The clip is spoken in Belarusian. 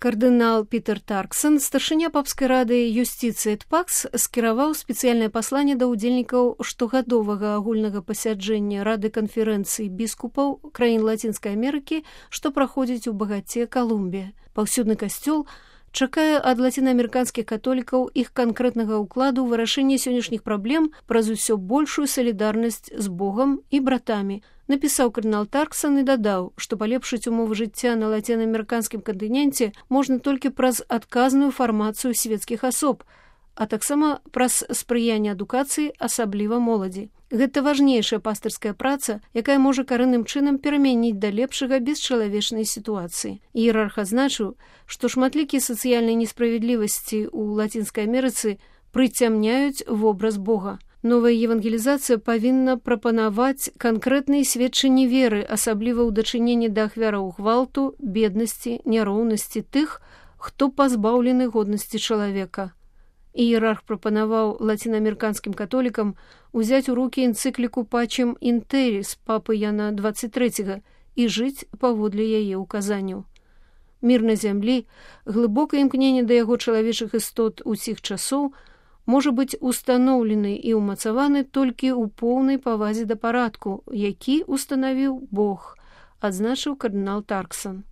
Кардынал Пітер Тарксон, старшыня папскай рады юстыцыі ТПАКС, скіраваў спецыяльнае пасланне да ўдзельнікаў штогадовага агульнага пасяджэння Рады канферэнцыі біскупаў краін Лацінскай Амерыкі, што праходзіць у багаце Калумбія. Паўсюдны касцёл чакае ад лацінаамерыканскіх католікаў іх канкрэтнага ўкладу ў вырашэнне сённяшніх праблем праз усё большую салідарнасць з Богам і братамі, напісаў кардынал Тарксон і дадаў, што палепшыць умовы жыцця на лацінаамерыканскім кантыненце можна толькі праз адказную фармацыю свецкіх асоб, а таксама праз спрыянне адукацыі, асабліва моладзі. Гэта важнейшая пастырская праца, якая можа карэнным чынам перамяніць да лепшага бесчалавечнай сітуацыі. Іерарх адзначыў, што шматлікія сацыяльныя несправядлівасці ў Лацінскай Амерыцы прыцямняюць вобраз Бога. Новая евангелізацыя павінна прапанаваць канкрэтныя сведчанні веры, асабліва ў дачыненні да ахвяраў гвалту, беднасці, няроўнасці тых, хто пазбаўлены годнасці чалавека. Іерарх прапанаваў лацінаамерыканскім католікам узяць у рукі энцыкліку Пачем ін Тэррис папы Яна 23 і жыць паводле яе ўказанняў. Мір на зямлі, глыбокае імкненне да яго чалавечых істот усіх часоў можа быць устаноўлены і ўмацаваны толькі ў поўнай павазе да парадку, які устанавіў Бог, адзначыў кардынал Тарксон.